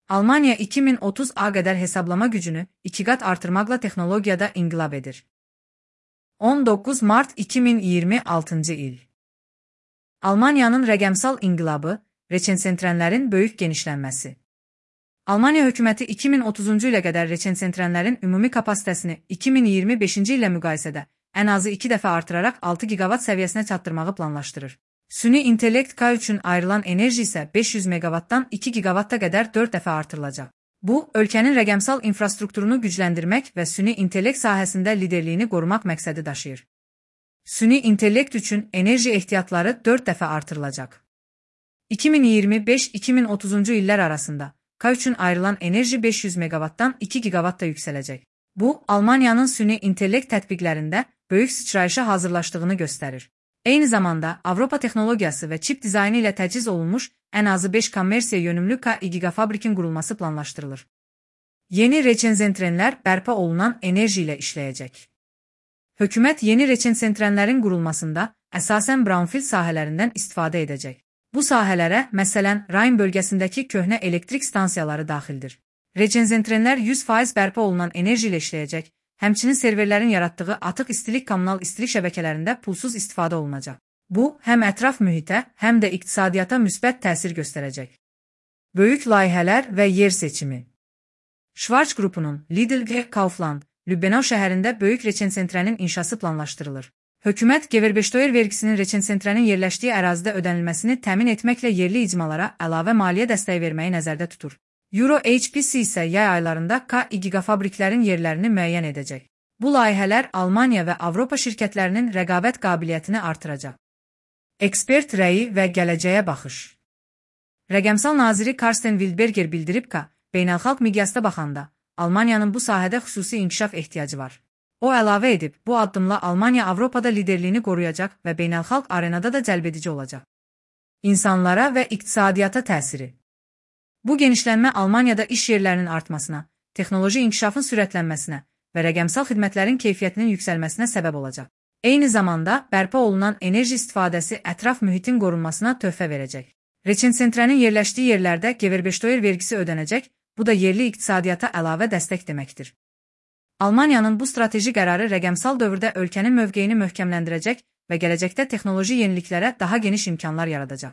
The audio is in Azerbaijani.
Almanya 2030'a qədər hesablama gücünü 2 qat artırmaqla texnologiyada inqilab edir. 19 Mart 2026 il. Almaniyanın rəqəmsal inqilabı, reçensentrənlərin böyük genişlənməsi. Almaniya hökuməti 2030-cu ilə qədər reçensentrənlərin ümumi kapasitəsini 2025-ci ilə müqayisədə ən azı 2 dəfə artıraraq 6 gigavat səviyyəsinə çatdırmağı planlaşdırır. Süni intellekt K üçün ayrılan enerji isə 500 megavatdan 2 gigavatta qədər 4 dəfə artırılacaq. Bu, ölkənin rəqəmsal infrastrukturunu gücləndirmək və süni intellekt sahəsində liderliyini qorumaq məqsədi daşıyır. Süni intellekt üçün enerji ehtiyatları 4 dəfə artırılacaq. 2025-2030-cu illər arasında K üçün ayrılan enerji 500 megavatdan 2 gigavatta yüksələcək. Bu, Almaniyanın süni intellekt tətbiqlərində böyük sıçrayışa hazırlaşdığını göstərir. Eyni zamanda Avropa texnologiyası və çip dizaynı ilə təchiz olunmuş ən azı 5 kommersiya yönümlü KI gigafabrikin qurulması planlaşdırılır. Yeni reçensentrənlər bərpa olunan enerji ilə işləyəcək. Hökumət yeni reçensentrənlərin qurulmasında əsasən brownfield sahələrindən istifadə edəcək. Bu sahələrə, məsələn, Rayn bölgəsindəki köhnə elektrik stansiyaları daxildir. Reçensentrənlər 100% bərpa olunan enerji ilə işləyəcək. Həmçinin serverlərin yaratdığı atıq istilik kommunal istilik şəbəkələrində pulsuz istifadə olunacaq. Bu, həm ətraf mühitə, həm də iqtisadiyyata müsbət təsir göstərəcək. Böyük layihələr və yer seçimi. Schwarz qrupunun Lidl və Kaufland, Lübbenau şəhərində böyük reçensentrənin inşası planlaşdırılır. Hökumət Gewerbesteuer vergisinin reçensentrənin yerləşdiyi ərazidə ödənilməsini təmin etməklə yerli icmalara əlavə maliyyə dəstəyi verməyi nəzərdə tutur. Euro HPC isə yay aylarında KI gigafabriklərin yerlərini müəyyən edəcək. Bu layihələr Almaniya və Avropa şirkətlərinin rəqabət qabiliyyətini artıracaq. Ekspert rəyi və gələcəyə baxış. Rəqəmsal naziri Karsten Wildberger bildirib ki, beynəlxalq miqyasda baxanda, Almaniyanın bu sahədə xüsusi inkişaf ehtiyacı var. O əlavə edib, bu addımla Almaniya Avropada liderliyini qoruyacaq və beynəlxalq arenada da cəlbedici olacaq. İnsanlara və iqtisadiyyata təsiri. Bu genişlənmə Almaniyada iş yerlərinin artmasına, texnoloji inkişafın sürətlənməsinə və rəqəmsal xidmətlərin keyfiyyətinin yüksəlməsinə səbəb olacaq. Eyni zamanda, bərpa olunan enerji istifadəsi ətraf mühitin qorunmasına töhfə verəcək. Reçensentrənin yerləşdiyi yerlərdə Gewerbesteuer vergisi ödənəcək, bu da yerli iqtisadiyyata əlavə dəstək deməkdir. Almaniyanın bu strateji qərarı rəqəmsal dövrdə ölkənin mövqeyini möhkəmləndirəcək və gələcəkdə texnoloji yeniliklərə daha geniş imkanlar yaradacaq.